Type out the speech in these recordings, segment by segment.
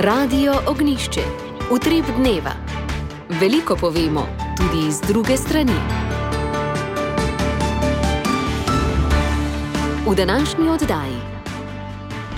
Radio Ognjišče. Utrip dneva. Veliko povemo, tudi iz druge strani. V današnji oddaji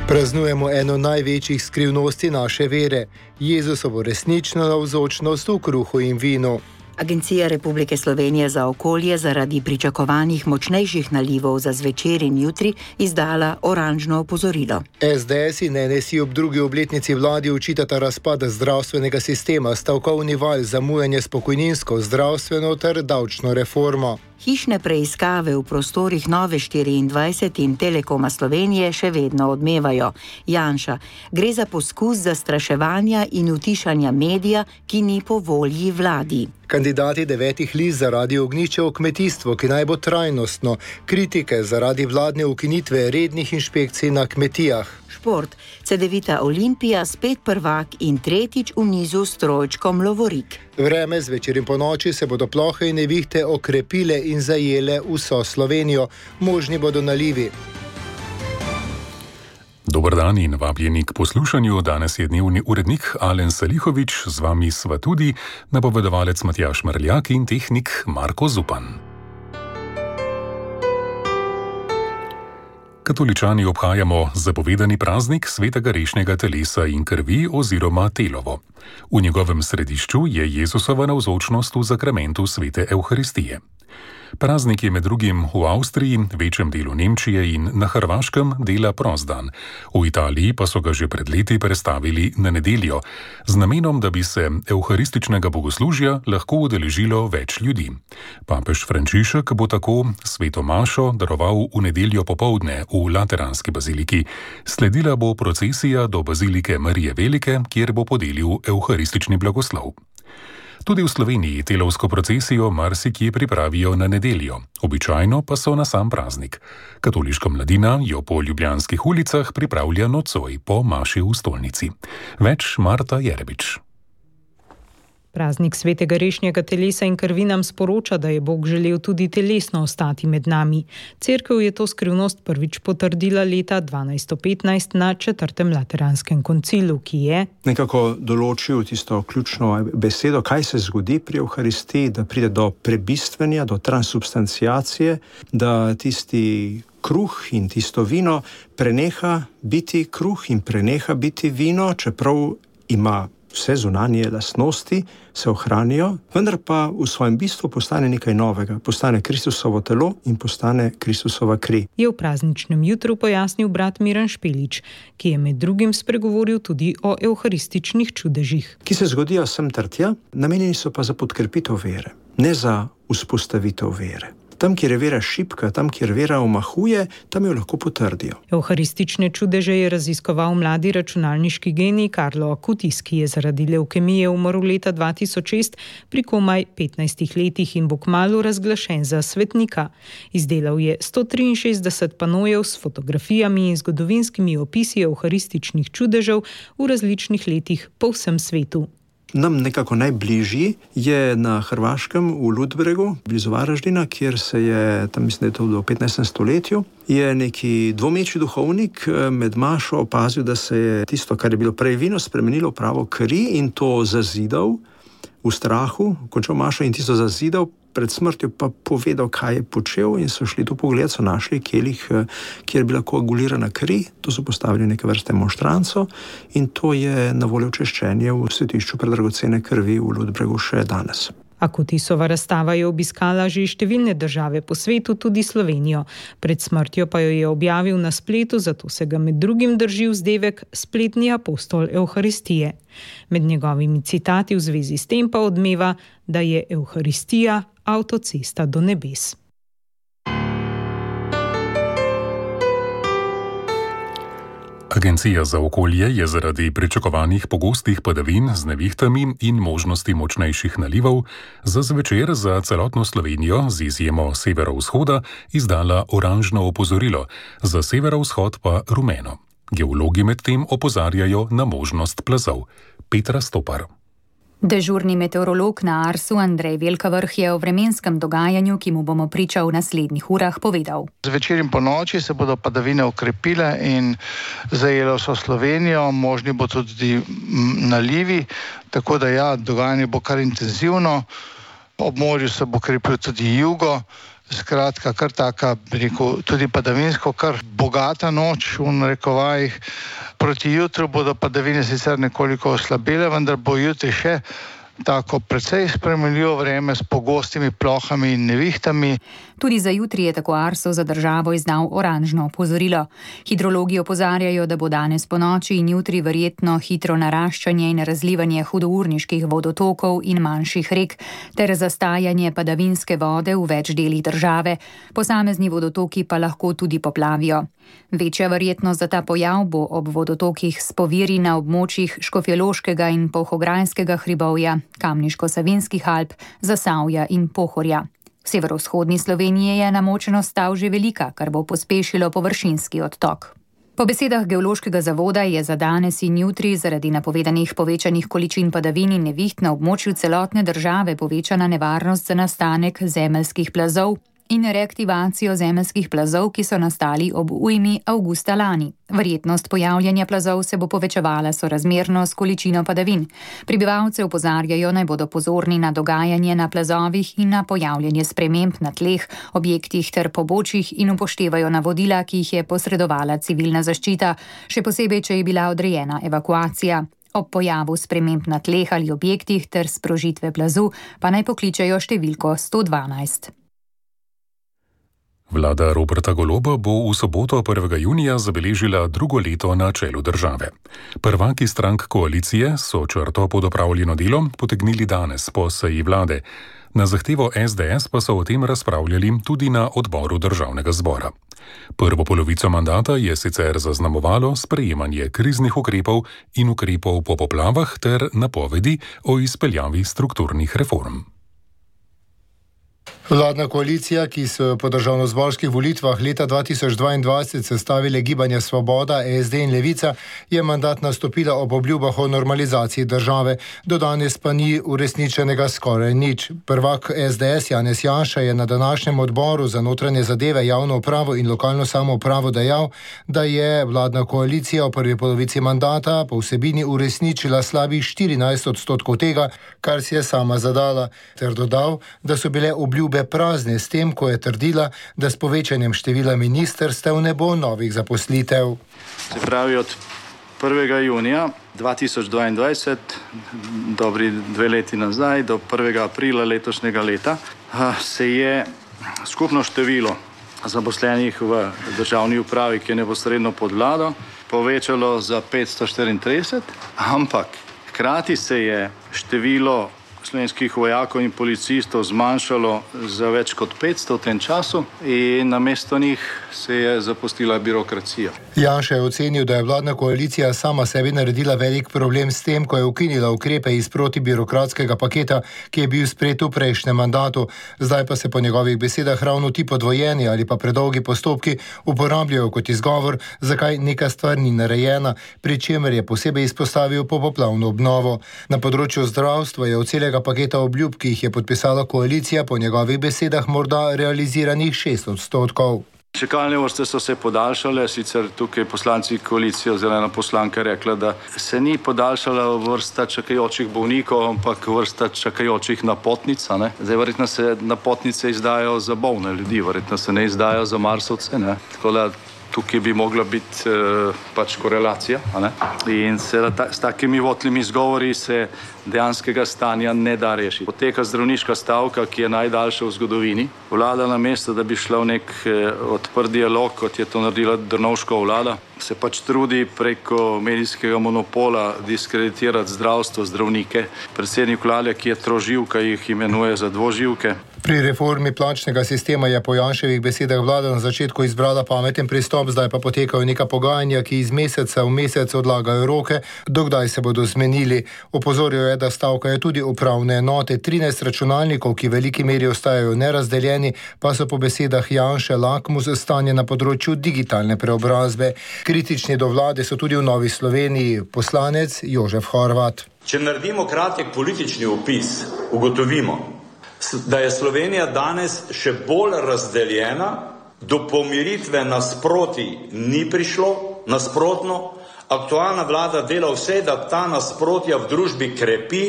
praznujemo eno največjih skrivnosti naše vere, Jezusovo resnično navzočnost v kruhu in vinu. Agencija Republike Slovenije za okolje zaradi pričakovanih močnejših nalivov za zvečer in jutri izdala oranžno opozorilo. SDS in NSI ob drugi obletnici vladi očitata razpad zdravstvenega sistema, stavkovni val, zamujanje s pokojninsko, zdravstveno ter davčno reformo. Hišne preiskave v prostorih Nove 24 in Telekoma Slovenije še vedno odmevajo. Janša, gre za poskus zastraševanja in utišanja medija, ki ni po volji vladi. Kandidati 9 list za Radio Ognjišče o kmetijstvu, ki naj bo trajnostno, kritike zaradi vladne ukinitve rednih inšpekcij na kmetijah. Šport, Cedevita Olimpija, spet prvak in tretjič v nizu s trojčkom lovorik. Vreme zvečer in ponoči se bodo plohe in nevihte okrepile in zajele vso Slovenijo. Možni bodo nalivi. Dober dan in vabljeni k poslušanju. Danes je dnevni urednik Alen Salihovič, z vami sva tudi napovedovalec Matjaž Mrljak in tehnik Marko Zupan. Katoličani obhajamo zapovedani praznik svetega rešnjega telesa in krvi oziroma telovo. V njegovem središču je Jezusova navzočnost v zakramentu svete Evharistije. Praznik je med drugim v Avstriji, večjem delu Nemčije in na Hrvaškem dela prost dan. V Italiji pa so ga že pred leti prestavili na nedeljo, z namenom, da bi se evharističnega bogoslužja lahko udeležilo več ljudi. Papež Frančišek bo tako sveto mašo daroval v nedeljo popoldne v Lateranski baziliki. Sledila bo procesija do bazilike Marije Velike, kjer bo podelil evharistični blagoslov. Tudi v Sloveniji telovsko procesijo marsikje pripravijo na nedeljo, običajno pa so na sam praznik. Katoliška mladina jo po ljubljanskih ulicah pripravlja nocoj po maši v stolnici. Več Marta Jerebič. Praznik svetega rešnjega telesa in krvi nam sporoča, da je Bog želel tudi telesno ostati med nami. Cerkev je to skrivnost prvič potrdila leta 1215 na 4. Lateranskem koncilu, ki je nekako določil tisto ključno besedo, kaj se zgodi pri Evharistiji, da pride do prebistvenja, do transubstanciacije, da tisti kruh in tisto vino preneha biti kruh in preneha biti vino, čeprav ima vse zunanje lastnosti, se ohranijo, vendar pa v svojem bistvu postane nekaj novega. Postane Kristusovo telo in postane Kristusova kri. Je v prazničnem jutru pojasnil brat Miran Špelič, ki je med drugim spregovoril tudi o evharističnih čudežih. Ki se zgodijo sem ter tja, namenjeni so pa za podkrepitev vere, ne za vzpostavitev vere. Tam, kjer je vera šibka, tam, kjer vera omahuje, tam jo lahko potrdijo. Evharistične čudeže je raziskoval mladi računalniški genij Carlo Acutis, ki je zaradi levkemije umrl leta 2006 pri komaj 15 letih in bo kmalu razglašen za svetnika. Izdelal je 163 panojev s fotografijami in zgodovinskimi opisi evharističnih čudežev v različnih letih po vsem svetu. Nam nekako najbližji je na Hrvaškem v Ludbregu, blizu Varaždina, kjer se je, tam mislim, da je to v 15. stoletju, je neki dvomeči duhovnik med mašo opazil, da se je tisto, kar je bilo prej vino, spremenilo v pravo kri in to zazidal v strahu, končal mašo in tisto zazidal, pred smrtjo pa povedal, kaj je počel in so šli to pogled, so našli kelih, kjer je bila koagulirana kri, to so postavili neke vrste monštranco in to je na voljo češčenje v svetišču predragocene krvi v Ludbregu še danes. Acutisova razstava je obiskala že številne države po svetu, tudi Slovenijo. Pred smrtjo pa jo je objavil na spletu, zato se ga med drugim drži vzdevek spletni apostol Evharistije. Med njegovimi citati v zvezi s tem pa odmeva, da je Evharistija avtocesta do nebes. Agencija za okolje je zaradi pričakovanih pogostih padavin z nevihtami in možnosti močnejših nalivov za zvečer za celotno Slovenijo z izjemo severovzhoda izdala oranžno opozorilo, za severovzhod pa rumeno. Geologi medtem opozarjajo na možnost plazov. Petra Stopar. Dežurni meteorolog na Arsu Andrej Velkavrh je o vremenskem dogajanju, ki mu bomo priča v naslednjih urah, povedal. Zvečer in ponoči se bodo padavine okrepile in zajele vso Slovenijo, možni bo tudi nalivi, tako da dogajanje bo kar intenzivno. Ob morju se bo krepil tudi jugo, skratka kar taka, tudi padavinsko, kar bogata noč v narekovajih. Proti jutru bodo padavine sicer nekoliko oslabele, vendar bo jutri še tako precej spremenljivo vreme s pogostimi plohami in nevihtami. Tudi za jutri je tako Arso za državo izdal oranžno opozorilo. Hidrologi opozarjajo, da bo danes ponoči in jutri verjetno hitro naraščanje in razlivanje hudourniških vodotokov in manjših rek ter zastajanje padavinske vode v več delih države. Posamezni vodotoki pa lahko tudi poplavijo. Večja verjetnost za ta pojav bo ob vodotokih s poviri na območjih Škofjeloškega in Polhograjskega hribovja, Kamniško-Savinjskih Alp, Zasavja in Pohorja. V severovzhodni Sloveniji je namočenost stav že velika, kar bo pospešilo površinski odtok. Po besedah Geološkega zavoda je za danes in jutri zaradi napovedanih povečanih količin padavin in neviht na območju celotne države povečana nevarnost za nastanek zemeljskih plazov in reaktivacijo zemeljskih plazov, ki so nastali ob ujmi avgusta lani. Verjetnost pojavljanja plazov se bo povečevala sorazmerno s količino padavin. Prebivalce opozarjajo, naj bodo pozorni na dogajanje na plazovih in na pojavljanje sprememb na tleh, objektih ter pobočjih in upoštevajo navodila, ki jih je posredovala civilna zaščita, še posebej, če je bila odrejena evakuacija. Ob pojavu sprememb na tleh ali objektih ter sprožitve plazu pa naj pokličejo številko 112. Vlada Roberta Goloba bo v soboto 1. junija zabeležila drugo leto na čelu države. Prvaki strank koalicije so črto pod opravljeno delo potegnili danes po seji vlade. Na zahtevo SDS pa so o tem razpravljali tudi na odboru državnega zbora. Prvo polovico mandata je sicer zaznamovalo sprejemanje kriznih ukrepov in ukrepov po poplavah ter napovedi o izpeljavi strukturnih reform. Vladna koalicija, ki so po državnozborskih volitvah leta 2022 sestavile Gibanje Svoboda, SD in Levica, je mandat nastopila ob obljubah o normalizaciji države. Do danes pa ni uresničenega skoraj nič. Prvak SDS Janez Janša je na današnjem odboru za notranje zadeve, javno upravo in lokalno samoupravo dejal, da je vladna koalicija v prvi polovici mandata po vsebini uresničila slabih 14% tega, kar si je sama zadala, ter dodal, da so bile obljube prazne s tem, ko je trdila, da s povečanjem števila ministerstev ne bo novih zaposlitev. Se pravi, od 1. junija 2022, dobri 2 leti nazaj, do 1. aprila letošnjega leta, se je skupno število zaposlenih v državni upravi, ki je neposredno pod vlado, povečalo za 534, ampak hkrati se je število slovenskih vojakov in policistov zmanjšalo za več kot 500 v tem času in namesto njih se je zapustila birokracija. Janša je ocenil, da je vladna koalicija sama sebi naredila velik problem s tem, ko je ukinila ukrepe iz protibirokratskega paketa, ki je bil sprejet v prejšnjem mandatu. Zdaj pa se po njegovih besedah ravno ti podvojeni ali pa predolgi postopki uporabljajo kot izgovor, zakaj neka stvar ni narejena, pri čemer je posebej izpostavil popoplavno obnovo. Na področju zdravstva je od celega paketa obljub, ki jih je podpisala koalicija, po njegovih besedah morda realiziranih 6%. Čakalne vrste so se podaljšale, sicer tukaj poslanci koalicije oziroma poslanka rekla, da se ni podaljšala vrsta čakajočih bolnikov, ampak vrsta čakajočih napotnic. Zdaj verjetno se napotnice izdajo za bolne ljudi, verjetno se ne izdajo za marsovce. Tako da tukaj bi mogla biti korelacija. In s takimi votlimi izgovori se dejanskega stanja ne da rešiti. Poteka zdravniška stavka, ki je najdaljša v zgodovini. Vlada namesto, da bi šla v nek odprt dialog, kot je to naredila Drnovškova vlada, se trudi preko medijskega monopola diskreditirati zdravstvo, zdravnike. Predsednik vlade, ki je troživka, jih imenuje za dvoživke. Pri reformi plačnega sistema je po Janševih besedah vlada na začetku izbrala pameten pristop, zdaj pa potekajo neka pogajanja, ki iz meseca v mesec odlagajo roke, dokdaj se bodo zmenili. Opozoril je, da stavkajo tudi upravne enote. 13 računalnikov, ki v veliki meri ostajajo nerazdeljeni, pa so po besedah Janše lakmus stanje na področju digitalne preobrazbe. Kritični do vlade so tudi v Novi Sloveniji poslanec Jožef Horvat. Če naredimo kratek politični opis, ugotovimo, da je Slovenija danes še bolj razdeljena, do pomiritve nasproti ni prišlo, nasprotno, aktualna vlada dela vse, da ta nasprotja v družbi krepi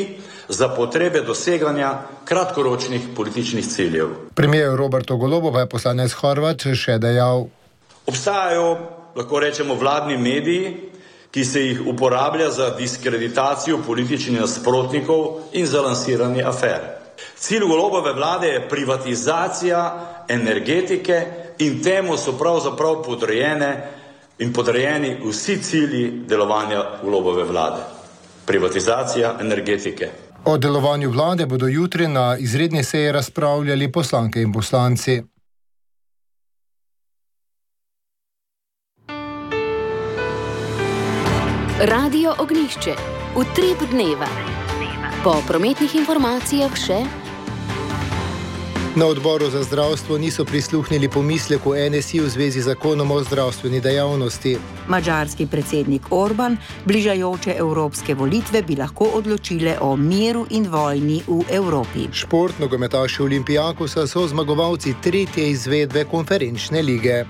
za potrebe doseganja kratkoročnih političnih ciljev. Premijer Roberto Golobo pa je poslanec Horvat še dejal: Obstajajo, lahko rečemo, vladni mediji, ki se jih uporablja za diskreditacijo političnih nasprotnikov in za lansiranje afer. Cilj Golobove vlade je privatizacija energetike in temu so pravzaprav podrejeni vsi cilji delovanja Golobove vlade. Privatizacija energetike. O delovanju vlade bodo jutri na izredni seji razpravljali poslanke in poslanci. Radio Ognjišče. Utrip dneva. Po prometnih informacijah še. Na odboru za zdravstvo niso prisluhnili pomisleku NSI v zvezi z zakonom o zdravstveni dejavnosti. Madžarski predsednik Orban, bližajoče evropske volitve bi lahko odločile o miru in vojni v Evropi. Šport, nogometaši Olimpijakosa so zmagovalci 3. izvedbe konferenčne lige.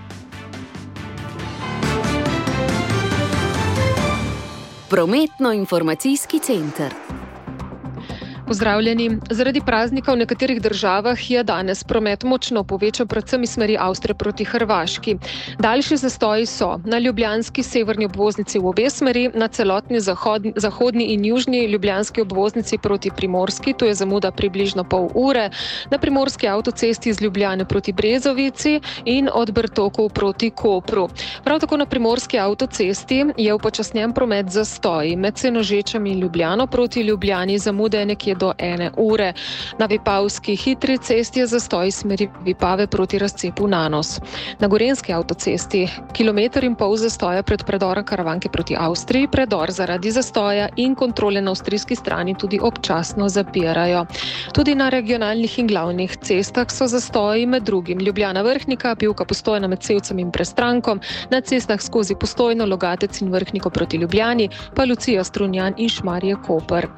Prometno-informacijski center. Pozdravljeni. Zaradi praznika v nekaterih državah je danes promet močno povečal, predvsem iz smeri Avstrije proti Hrvaški. Daljši zastoji so na ljubljanski severni obvoznici v obe smeri, na celotni zahodni in južni ljubljanski obvoznici proti Primorski, to je zamuda približno pol ure, na primorski avtocesti iz Ljubljane proti Brezovici in od Bertokov proti Kopru. Prav tako na primorski avtocesti je upočasnjen promet zastoji. Med Senožečami in Ljubljano proti Ljubljani zamuda je nekje do 1 ure. Na Vipavski hitri cesti je zastoj smeri Vipave proti razcepu Nanos. Na Gorenjski avtocesti 1,5 kilometra zastoja pred predorom Karavanke proti Avstriji, predor zaradi zastoja in kontrole na avstrijski strani tudi občasno zapirajo. Tudi na regionalnih in glavnih cestah so zastoji, med drugim Ljubljana Vrhnika, Pivka Postojna med Sevcem in Prestrankom, na cestah skozi Postojno, Logatec in Vrhniko proti Ljubljani, pa Lucija Strunjan in Šmarje Koper.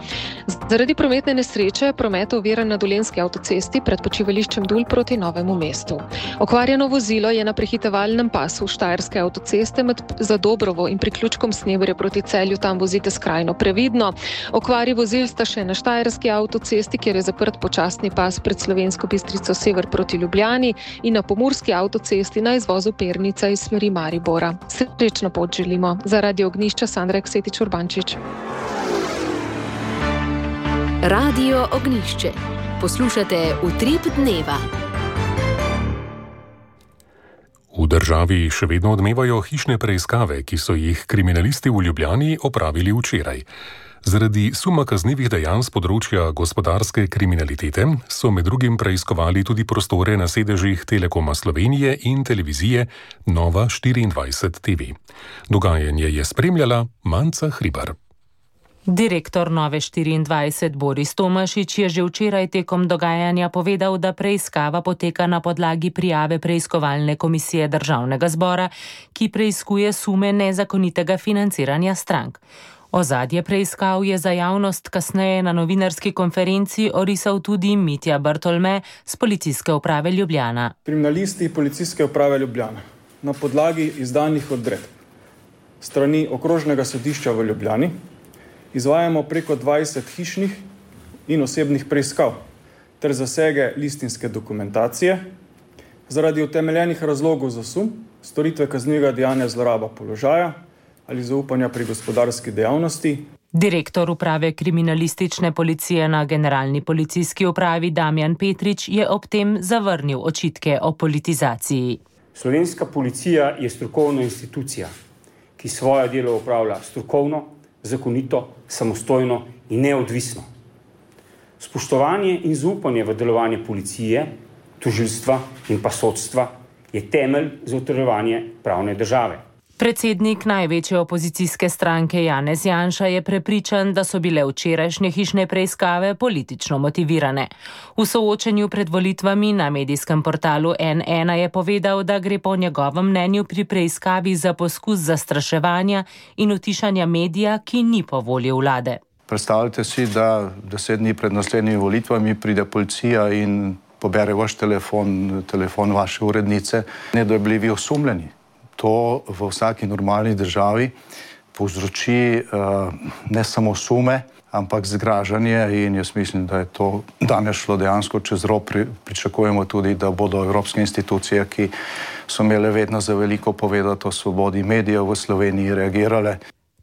Zaradi prometne nesreče promet oviran na Dolenjski avtocesti pred počivališčem Dul proti Novemu mestu. Okvarjeno vozilo je na prehitevalnem pasu Štajerske avtoceste med Zadobrovo in priključkom Sneberje proti Celju, tam vozite skrajno previdno. Okvari vozil sta še na Štajerski avtocesti, kjer je zaprt počasni pas pred Slovensko Bistrico sever proti Ljubljani in na Pomurski avtocesti na izvozu Pernica iz smeri Maribora. Srečno pot želimo. Za Radio Ognjišče Sandra Eksetič Urbančič. Radio Ognjišče. Poslušate Utrip dneva. V državi še vedno odmevajo hišne preiskave, ki so jih kriminalisti v Ljubljani opravili včeraj. Zaradi suma kaznivih dejanj s področja gospodarske kriminalitete so med drugim preiskovali tudi prostore na sedežih Telekoma Slovenije in televizije Nova 24 TV. Dogajanje je spremljala Manca Hribar. Direktor Nove 24 Boris Tomašič je že včeraj tekom dogajanja povedal, da preiskava poteka na podlagi prijave preiskovalne komisije Državnega zbora, ki preiskuje sume nezakonitega financiranja strank. Ozadje preiskav je za javnost kasneje na novinarski konferenci orisal tudi Mitja Bartolme z Policijske uprave Ljubljana. Kriminalisti Policijske uprave Ljubljana na podlagi izdanih odredb strani Okrožnega sodišča v Ljubljani izvajamo preko 20 hišnih in osebnih preiskav ter zasege listinske dokumentacije zaradi utemeljenih razlogov za sum storitve kaznivega dejanja zloraba položaja ali zaupanja pri gospodarski dejavnosti. Direktor uprave kriminalistične policije na Generalni policijski upravi Damjan Petrič je ob tem zavrnil očitke o politizaciji. Slovenska policija je strokovna institucija, ki svoje delo opravlja strokovno, zakonito, samostojno in neodvisno. Spoštovanje in zaupanje v delovanje policije, tožilstva in pa sodstva je temelj za utrjevanje pravne države. Predsednik največje opozicijske stranke Janez Janša je prepričan, da so bile včerajšnje hišne preiskave politično motivirane. V soočenju pred volitvami na medijskem portalu N1 je povedal, da gre po njegovem mnenju pri preiskavi za poskus zastraševanja in utišanja medija, ki ni po volji vlade. Predstavljajte si, da 10 dni pred naslednjimi volitvami pride policija in pobere vaš telefon vaše urednice, ne da bi bili vi osumljeni. To v vsaki normalni državi povzroči ne samo sume, ampak zgražanje in jaz mislim, da je to danes šlo dejansko čez rob. Pričakujemo tudi, da bodo evropske institucije, ki so imele vedno za veliko povedati o svobodi medijev v Sloveniji, reagirale.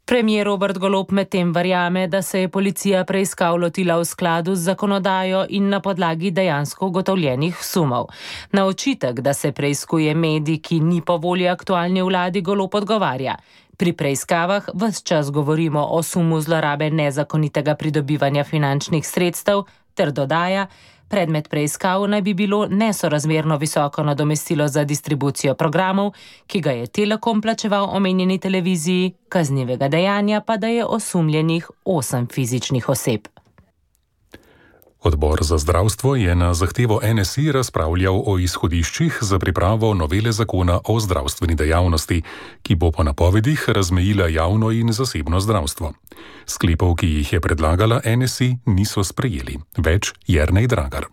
Premier Robert Golob medtem verjame, da se je policija preiskav lotila v skladu z zakonodajo in na podlagi dejansko ugotovljenih sumov. Na očitek, da se preiskuje medij, ki ni po volji aktualni vladi, Golob odgovarja. Pri preiskavah ves čas govorimo o sumu zlorabe nezakonitega pridobivanja finančnih sredstev, ter dodaja, predmet preiskav naj bi bilo nesorazmerno visoko nadomestilo za distribucijo programov, ki ga je Telekom plačeval omenjeni televiziji, kaznivega dejanja pa da je osumljenih 8 fizičnih oseb. Odbor za zdravstvo je na zahtevo NSI razpravljal o izhodiščih za pripravo novele zakona o zdravstveni dejavnosti, ki bo po napovedih razmejila javno in zasebno zdravstvo. Sklepov, ki jih je predlagala NSI, niso sprejeli. Več Jernej Dragar.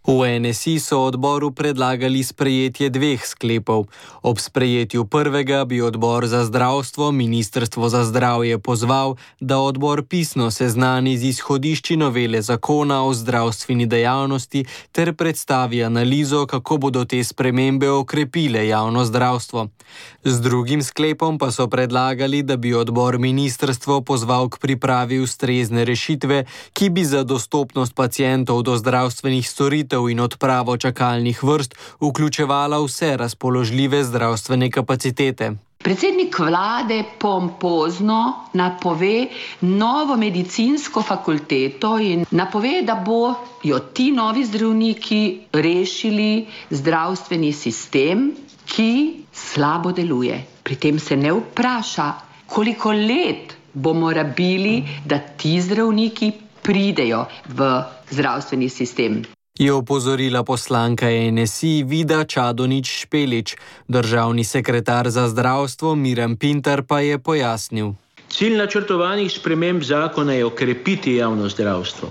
V NSI so odboru predlagali sprejetje 2 sklepov. Ob sprejetju prvega bi odbor za zdravstvo Ministrstvo za zdravje pozval, da odbor pisno seznani z izhodišči novele zakona o zdravstveni dejavnosti ter predstavi analizo, kako bodo te spremembe okrepile javno zdravstvo. Z drugim sklepom pa so predlagali, da bi odbor ministrstvo pozval k pripravi ustrezne rešitve, ki bi za dostopnost pacientov do zdravstvenih storitev in odpravo čakalnih vrst vključevala vse razpoložljive zdravstvene kapacitete. Predsednik vlade pompozno napove novo medicinsko fakulteto in napove, da bojo ti novi zdravniki rešili zdravstveni sistem, ki slabo deluje. Pri tem se ne vpraša, koliko let bomo rabili, da ti zdravniki pridejo v zdravstveni sistem. Je opozorila poslanka NSI Vida Čadonič Špelič. Državni sekretar za zdravstvo Miran Pintar pa je pojasnil. Cilj načrtovanih sprememb zakona je okrepiti javno zdravstvo.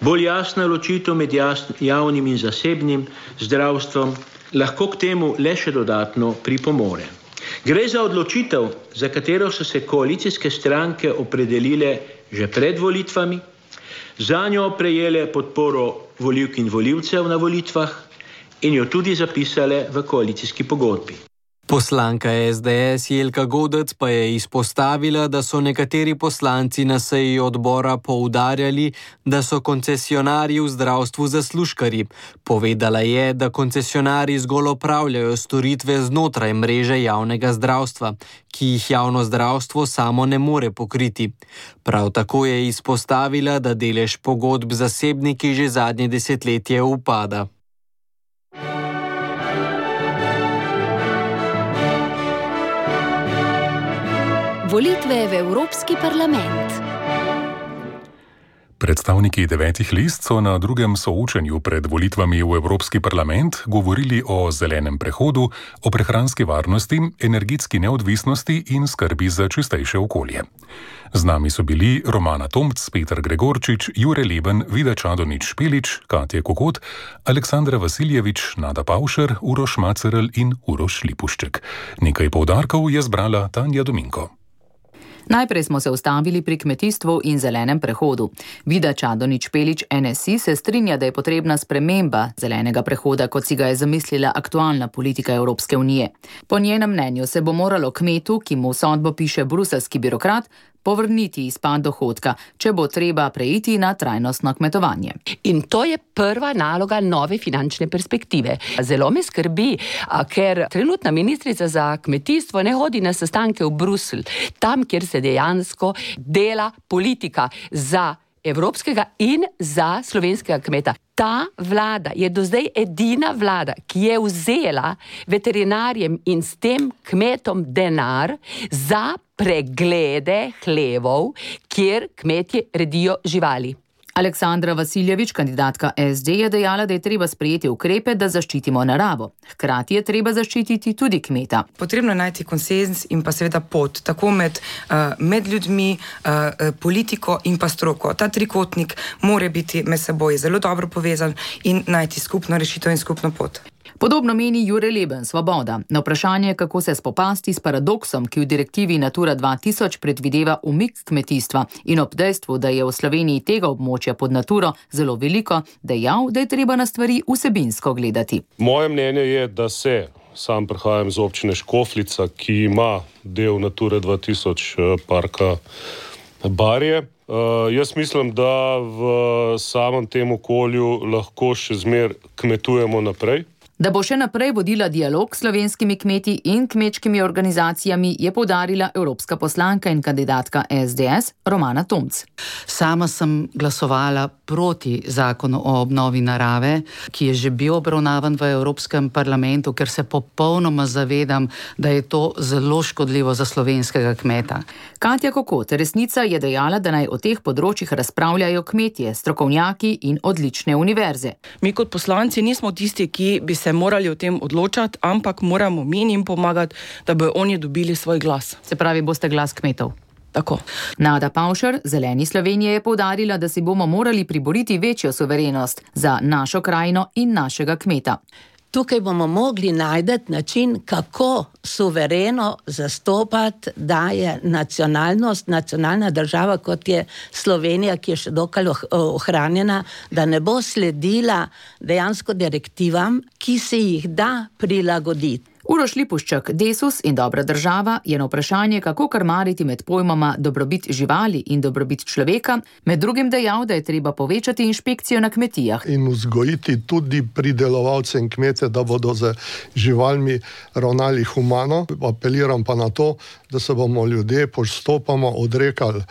Bolj jasna ločitev med javnim in zasebnim zdravstvom lahko k temu le še dodatno pripomore. Gre za odločitev, za katero so se koalicijske stranke opredelile že pred volitvami, zanjo prejele podporo volivk in volivcev na volitvah in jo tudi zapisale v koalicijski pogodbi. Poslanka SDS Jelka Godec pa je izpostavila, da so nekateri poslanci na seji odbora poudarjali, da so koncesionarji v zdravstvu zaslužkarji. Povedala je, da koncesionarji zgolj opravljajo storitve znotraj mreže javnega zdravstva, ki jih javno zdravstvo samo ne more pokriti. Prav tako je izpostavila, da delež pogodb z zasebniki že zadnje desetletje upada. Volitve v Evropski parlament. Predstavniki 9 list so na drugem soočenju pred volitvami v Evropski parlament govorili o zelenem prehodu, o prehranski varnosti, energetski neodvisnosti in skrbi za čistejše okolje. Z nami so bili Romana Tomc, Peter Gregorčič, Jure Leben, Vida Čadonič Špelič, Katja Kokot, Aleksandra Vasiljevič, Nada Pavšer, Uroš Macerl in Uroš Lipušček. Nekaj poudarkov je zbrala Tanja Dominko. Najprej smo se ustavili pri kmetijstvu in zelenem prehodu. Vida Čadonič Špelič NSI se strinja, da je potrebna sprememba zelenega prehoda, kot si ga je zamislila aktualna politika Evropske unije. Po njenem mnenju se bo moralo kmetu, ki mu sodbo piše bruselski birokrat, povrniti izpad dohodka, če bo treba preiti na trajnostno kmetovanje. In to je prva naloga nove finančne perspektive. Zelo me skrbi, ker trenutna ministrica za kmetijstvo ne hodi na sestanke v Bruselj, tam, kjer se dejansko dela politika za evropskega in za slovenskega kmeta. Ta vlada je do zdaj edina vlada, ki je vzela veterinarjem in s tem kmetom denar za preglede hlevov, kjer kmetje redijo živali. Aleksandra Vasiljevič, kandidatka SD, je dejala, da je treba sprejeti ukrepe, da zaščitimo naravo. Hkrati je treba zaščititi tudi kmeta. Potrebno je najti konsens in pa seveda pot, tako med ljudmi, politiko in pa stroko. Ta trikotnik mora biti med seboj zelo dobro povezan in najti skupno rešitev in skupno pot. Podobno meni Jure Leben, Svoboda. Na vprašanje, kako se spopasti s paradoksom, ki v direktivi Natura 2000 predvideva umik kmetijstva in ob dejstvu, da je v Sloveniji tega območja pod Naturo zelo veliko, dejal, da je treba na stvari vsebinsko gledati. Moje mnenje je, da sam prihajam iz občine Škofljica, ki ima del Nature 2000 parka Barje. Jaz mislim, da v samem tem okolju lahko še zmer kmetujemo naprej. Da bo še naprej vodila dialog s slovenskimi kmeti in kmečkimi organizacijami, je poudarila evropska poslanka in kandidatka SDS Romana Tomc. Sama sem glasovala proti zakonu o obnovi narave, ki je že bil obravnavan v Evropskem parlamentu, ker se popolnoma zavedam, da je to zelo škodljivo za slovenskega kmeta. Katja Kokot, Resnica, je dejala, da naj o teh področjih razpravljajo kmetje, strokovnjaki in odlične univerze. Mi kot poslanci nismo tisti, ki bi se morali o tem odločati, ampak moramo mi njim pomagati, da bodo oni dobili svoj glas. Se pravi, boste glas kmetov. Tako. Nada Pavšar, Zeleni Slovenije, je poudarila, da si bomo morali priboriti večjo suverenost za našo krajino in našega kmeta. Tukaj bomo mogli najti način, kako suvereno zastopati, da je nacionalna država, kot je Slovenija, ki je še dokaj ohranjena, da ne bo sledila dejansko direktivam, ki se jih da prilagoditi. Uroš Lipuščak, Desus in dobra država, je na vprašanje, kako krmariti med pojmoma dobrobit živali in dobrobit človeka, med drugim dejal, da je treba povečati inšpekcijo na kmetijah. In vzgojiti tudi pridelovalce in kmete, da bodo z živalmi ravnali humano. Apeliram pa na to, da se bomo ljudje postopoma odrekali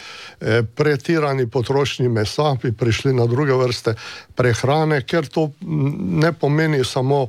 pretirani potrošnji mesa, bi prišli na druge vrste prehrane, ker to ne pomeni samo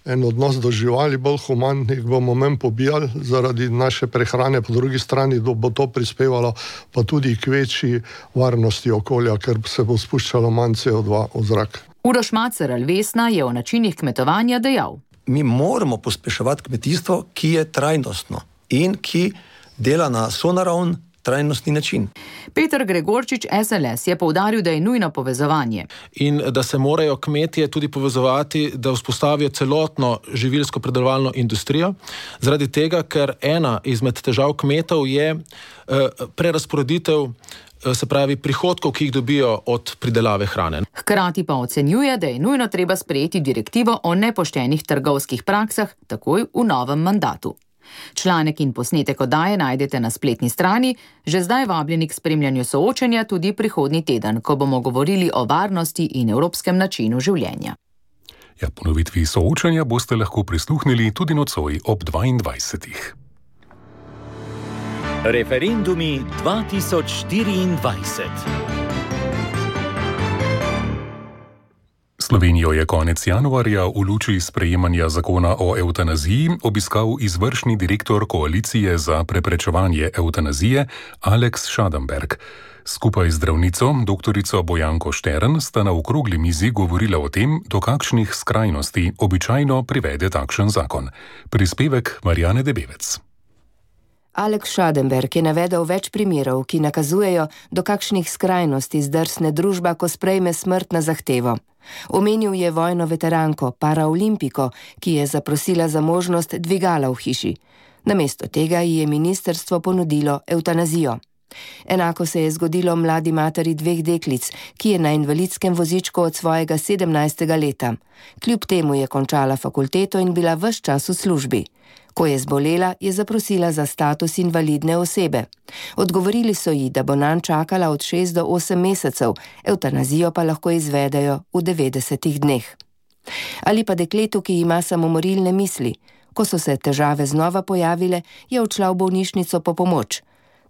en odnos do živali, bolj human, jih bomo manj pobijali zaradi naše prehrane, po drugi strani bo to prispevalo pa tudi k večji varnosti okolja, ker se bo spuščalo manj CO2 v zrak. Uroš Macer Alvesna je o načinih kmetovanja dejal. Mi moramo pospeševati kmetijstvo, ki je trajnostno in ki dela na sonaravn trajnostni način. Peter Gregorčič, SLS, je poudaril, da je nujno povezovanje. In da se morajo kmetje tudi povezovati, da vzpostavijo celotno živilsko predelovalno industrijo, zaradi tega, ker ena izmed težav kmetov je prerazporeditev, se pravi prihodkov, ki jih dobijo od pridelave hrane. Hkrati pa ocenjuje, da je nujno treba sprejeti direktivo o nepoštenih trgovskih praksah takoj v novem mandatu. Članek in posnetek oddaje najdete na spletni strani, že zdaj vabljeni k spremljanju soočenja tudi prihodnji teden, ko bomo govorili o varnosti in evropskem načinu življenja. Ponovitvi soočenja boste lahko prisluhnili tudi nocoj ob 22. Referendumi 2024. Slovenijo je konec januarja v luči sprejemanja zakona o evtanaziji obiskal izvršni direktor Koalicije za preprečevanje evtanazije Alex Schadenberg. Skupaj z zdravnico, doktorico Bojanko Štern, sta na okrogli mizi govorila o tem, do kakšnih skrajnosti običajno privede takšen zakon. Prispevek Marjane Debevec. Alex Schadenberg je navedel več primerov, ki nakazujejo, do kakšnih skrajnosti zdrsne družba, ko sprejme smrt na zahtevo. Omenil je vojno veteranko, paraolimpiko, ki je zaprosila za možnost dvigala v hiši. Namesto tega ji je ministrstvo ponudilo evtanazijo. Enako se je zgodilo mladi materi 2 deklic, ki je na invalidskem vozičku od svojega 17. leta. Kljub temu je končala fakulteto in bila ves čas v službi. Ko je zbolela, je zaprosila za status invalidne osebe. Odgovorili so ji, da bo nanj čakala od 6 do 8 mesecev, evtanazijo pa lahko izvedejo v 90 dneh. Ali pa dekletu, ki ima samomorilne misli. Ko so se težave znova pojavile, je odšla v bolnišnico po pomoč.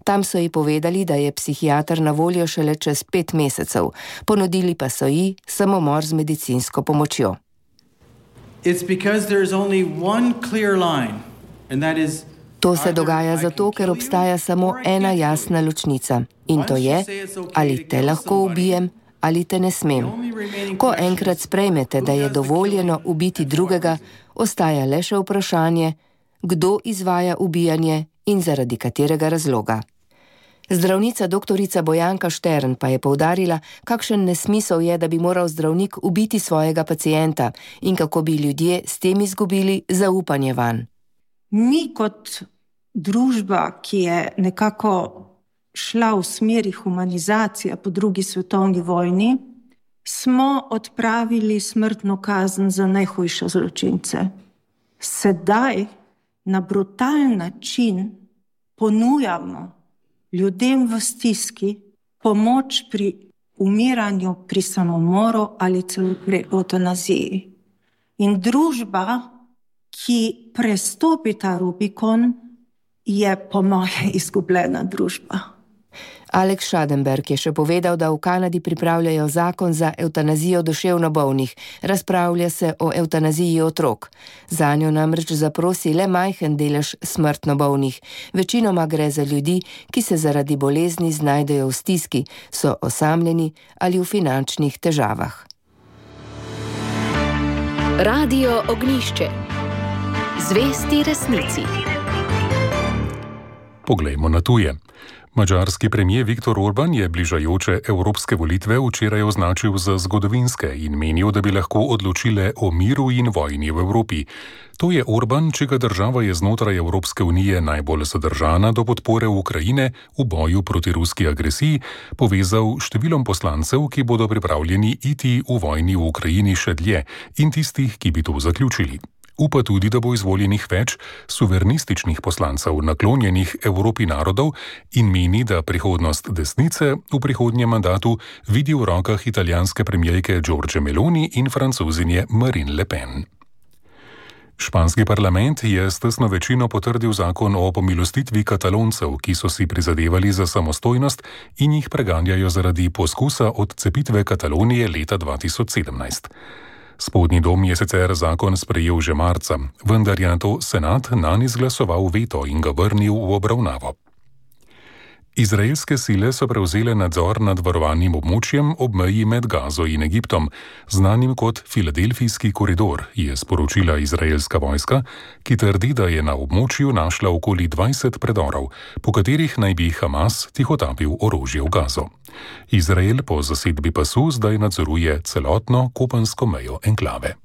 Tam so ji povedali, da je psihiater na voljo šele čez 5 mesecev. Ponudili pa so ji samomor z medicinsko pomočjo. To se dogaja zato, ker obstaja samo ena jasna ločnica. In to je, ali te lahko ubijem, ali te ne smem. Ko enkrat sprejmete, da je dovoljeno ubiti drugega, ostaja le še vprašanje, kdo izvaja ubijanje in zaradi katerega razloga. Zdravnica doktorica Bojanka Štern pa je poudarila, kakšen nesmisel je, da bi moral zdravnik ubiti svojega pacienta in kako bi ljudje s tem izgubili zaupanje vanj. Mi kot družba, ki je nekako šla v smeri humanizacije po drugi svetovni vojni, smo odpravili smrtno kazen za najhujše zločince. Sedaj na brutalen način ponujamo ljudem v stiski pomoč pri umiranju, pri samomoru ali celo pri eutanaziji. In družba, ki prestopi ta Rubikon, je po moje izgubljena družba. Alex Schadenberg je še povedal, da v Kanadi pripravljajo zakon za evtanazijo duševno bolnih. Razpravlja se o evtanaziji otrok. Zanjo namreč zaprosi le majhen delež smrtno bolnih. Večinoma gre za ljudi, ki se zaradi bolezni znajdejo v stiski, so osamljeni ali v finančnih težavah. Radio Ognjišče. Zvesti resnici. Poglejmo na tuje. Madžarski premijer Viktor Orban je bližajoče evropske volitve včeraj označil za zgodovinske in menil, da bi lahko odločile o miru in vojni v Evropi. To je Orban, čega država je znotraj Evropske unije najbolj zadržana do podpore Ukrajine v boju proti ruski agresiji, povezal številom poslancev, ki bodo pripravljeni iti v vojni v Ukrajini še dlje, in tistih, ki bi to zaključili. Upa tudi, da bo izvoljenih več suverenističnih poslancev, naklonjenih Evropi narodov, in meni, da prihodnost desnice v prihodnjem mandatu vidi v rokah italijanske premijerke Giorgie Meloni in francozinje Marine Le Pen. Španski parlament je s tesno večino potrdil zakon o pomilostitvi Kataloncev, ki so si prizadevali za samostojnost in jih preganjajo zaradi poskusa odcepitve Katalonije leta 2017. Spodnji dom je sicer zakon sprejel že marca, vendar je nato senat nanj izglasoval veto in ga vrnil v obravnavo. Izraelske sile so prevzele nadzor nad varovanim območjem ob meji med Gazo in Egiptom, znanim kot Filadelfijski koridor, je sporočila izraelska vojska, ki trdi, da je na območju našla okoli 20 predorov, po katerih naj bi Hamas tihotapil orožje v Gazo. Izrael po zasedbi pasu zdaj nadzoruje celotno kopensko mejo enklave.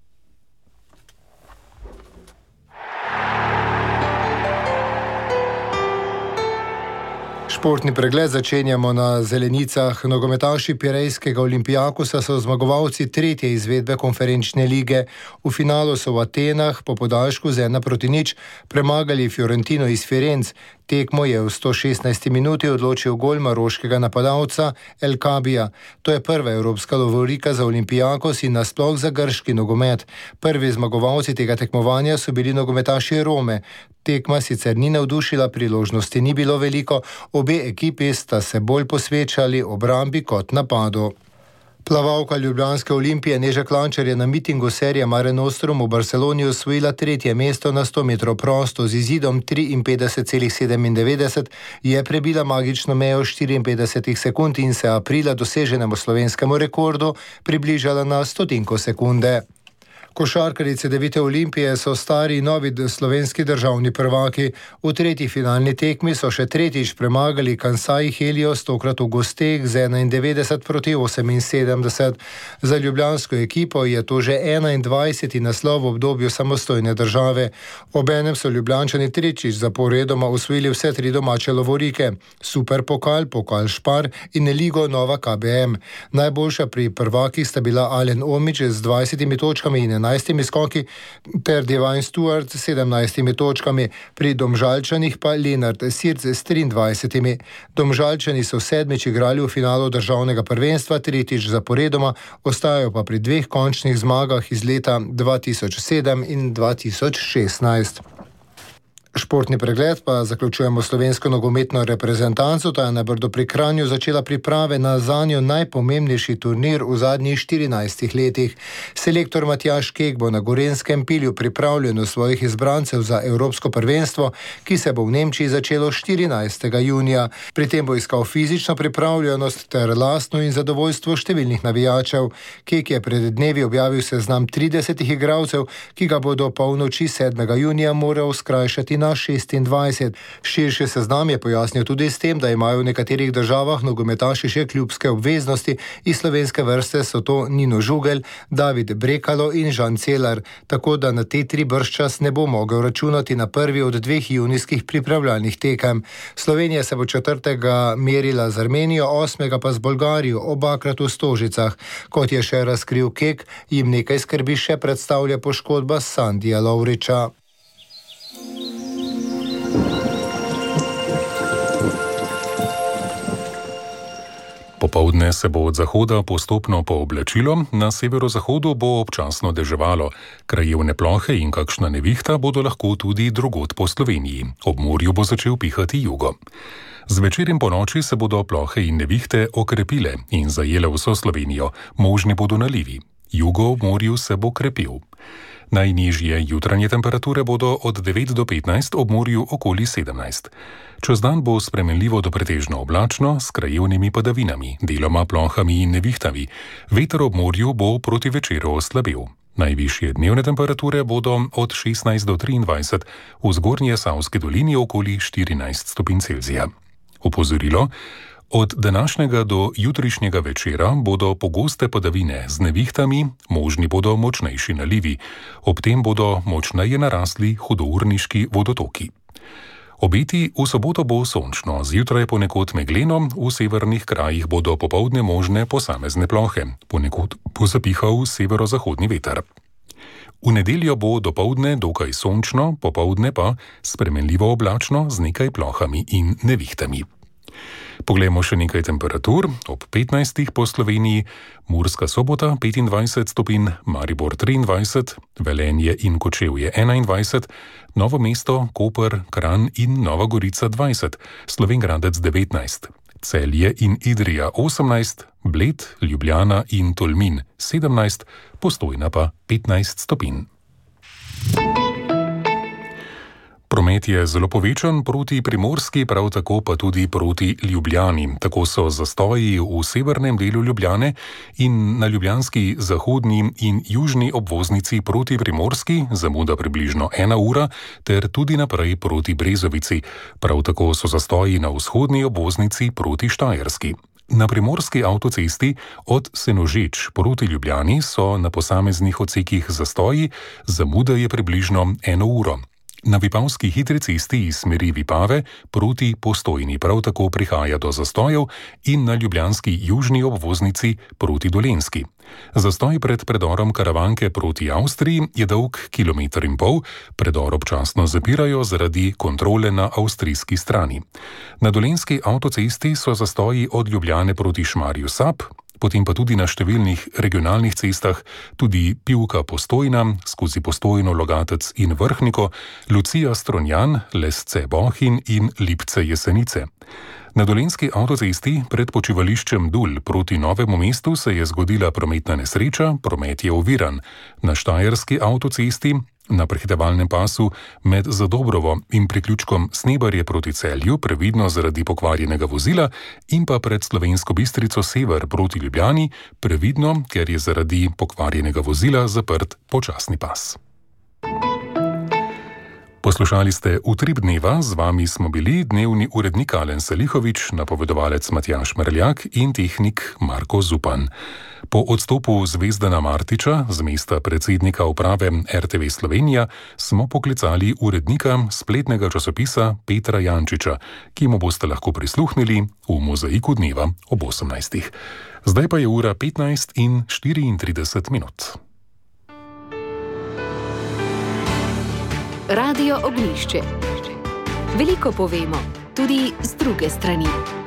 Športni pregled začenjamo na zelenicah. Nogometaši Pirejskega Olimpijakosa so zmagovalci tretje izvedbe konferenčne lige. V finalu so v Atenah po podaljšku z 1-0 premagali Fiorentino iz Firenc. Tekmo je v 116 minuti odločil gol maroškega napadalca El Kabija. To je prva evropska lovorika za Olimpijakos in nasploh za grški nogomet. Prvi zmagovalci tega tekmovanja so bili nogometaši Rome. Tekma sicer ni navdušila, priložnosti ni bilo veliko, obe ekipi sta se bolj posvečali obrambi kot napadu. Plavalka ljubljanske Olimpije Neža Klančar je na mitingu serije Mare Nostrum v Barceloni osvojila tretje mesto na 100 metrov prosto z izidom 53,97, je prebila magično mejo 54 sekund in se aprila doseženemu slovenskemu rekordu približala na stotinko sekunde. Košarkarice 9. Olimpije so stari novi slovenski državni prvaki. V tretji finalni tekmi so še tretjič premagali Kansai Helios, tokrat v gosteh z 91-78. Za ljubljansko ekipo je to že 21. naslov v obdobju samostojne države. Obenem so Ljubljančani tretjič zaporedoma osvojili vse tri domače lovorike: Superpokal, Pokal Špar in Ligo Nova KBM. Najboljša pri prvakih sta bila Alen Omić z 20 točkami in 11 skoki ter Divine Stewart s 17 točkami, pri Domžalčanih pa Lenart Sirc s 23. Domžalčani so sedmič igrali v finalu državnega prvenstva, tretjič zaporedoma, ostajajo pa pri dveh končnih zmagah iz leta 2007 in 2016. Športni pregled pa zaključujemo slovensko nogometno reprezentanco, ta je na Brdu pri Kranju začela priprave na zanjo najpomembnejši turnir v zadnjih 14 letih. Selektor Matjaž Kek bo na Gorenjskem pilju pripravljen svojih izbrancev za Evropsko prvenstvo, ki se bo v Nemčiji začelo 14. junija. Pri tem bo iskal fizično pripravljenost ter lastno in zadovoljstvo številnih navijačev. Kek je pred dnevi objavil seznam 30 igralcev, ki ga bo do polnoči 7. junija moral skrajšati na 26. Širši seznam je pojasnil tudi s tem, da imajo v nekaterih državah nogometaši še klubske obveznosti. Iz slovenske vrste so to Nino Žugelj, David Brekalo in Žan Celar, tako da na te 3 bržčas ne bo mogel računati na prvi od 2 junijskih pripravljalnih tekem. Slovenija se bo 4. merila z Armenijo, 8. pa z Bolgarijo, obakrat v Stožicah. Kot je še razkril Kek, jim nekaj skrbi še predstavlja poškodba Sandija Lovriča. Popoldne se bo od zahoda postopno pooblačilo, na severozahodu bo občasno deževalo. Krajevne plohe in kakšna nevihta bodo lahko tudi drugod po Sloveniji. Ob morju bo začel pihati jugo. Zvečer in ponoči se bodo plohe in nevihte okrepile in zajele vso Slovenijo. Možni bodo nalivi. Jugo ob morju se bo krepil. Najnižje jutranje temperature bodo od 9 do 15, ob morju okoli 17. Čez dan bo spremenljivo do pretežno oblačno s krajevnimi padavinami, deloma plohami in nevihtami. Veter ob morju bo proti večeru oslabel. Najvišje dnevne temperature bodo od 16 do 23, v zgornje Savski dolini okoli 14 stopinj Celzija. Opozorilo: od današnjega do jutrišnjega večera bodo pogoste padavine z nevihtami, možni bodo močnejši nalivi. Ob tem bodo močneje narasli hudourniški vodotoki. Obeti: v soboto bo sončno, zjutraj ponekod megleno, v severnih krajih bodo popoldne možne posamezne plohe, ponekod bo zapihal severozahodni veter. V nedeljo bo dopoldne dokaj sončno, popoldne pa spremenljivo oblačno z nekaj plohami in nevihtami. Poglejmo še nekaj temperatur. Ob 15 po Sloveniji: Murska Sobota 25 stopinj, Maribor 23, Velenje in Kočevje 21, Novo mesto, Koper, Kranj in Nova Gorica 20, Slovenj Gradec 19, Celje in Idrija 18, Bled, Ljubljana in Tolmin 17, Postojna pa 15 stopinj. Promet je zelo povečan proti Primorski, prav tako pa tudi proti Ljubljani. Tako so zastoji v severnem delu Ljubljane in na ljubljanski zahodni in južni obvoznici proti Primorski, zamuda približno 1 ura, ter tudi naprej proti Brezovici. Prav tako so zastoji na vzhodni obvoznici proti Štajerski. Na primorski avtocesti od Senožeč proti Ljubljani so na posameznih odsekih zastoji, zamuda je približno 1 uro. Na vipavski hitri cesti iz smeri Vipave proti Postojni prav tako prihaja do zastojev in na ljubljanski južni obvoznici proti Dolenjski. Zastoj pred predorom Karavanke proti Avstriji je dolg 1,5 km, predor občasno zapirajo zaradi kontrole na avstrijski strani. Na dolenjski avtocesti so zastoji od Ljubljane proti Šmarju Sap, potem pa tudi na številnih regionalnih cestah, tudi Pivka Postojna, skozi Postojno, Logatec in Vrhniko, Lucija Stronjan, Lesce Bohinj in Lipce Jesenice. Na dolenjski avtocesti pred počivališčem Dul proti Novemu mestu se je zgodila prometna nesreča, promet je oviran. Na štajerski avtocesti na prehitevalnem pasu med Zadobrovo in priključkom Snebarje proti Celju previdno zaradi pokvarjenega vozila in pa pred Slovensko Bistrico Sever proti Ljubljani previdno, ker je zaradi pokvarjenega vozila zaprt počasni pas. Poslušali ste Utrip dneva, z vami smo bili dnevni urednik Alen Salihovič, napovedovalec Matjaž Merljak in tehnik Marko Zupan. Po odstopu Zvezdana Martiča z mesta predsednika uprave RTV Slovenija smo poklicali urednika spletnega časopisa Petra Jančiča, ki mu boste lahko prisluhnili v Mozaiku dneva ob 18. Zdaj pa je ura 15:34. Radio Ognjišče. Veliko povemo, tudi z druge strani.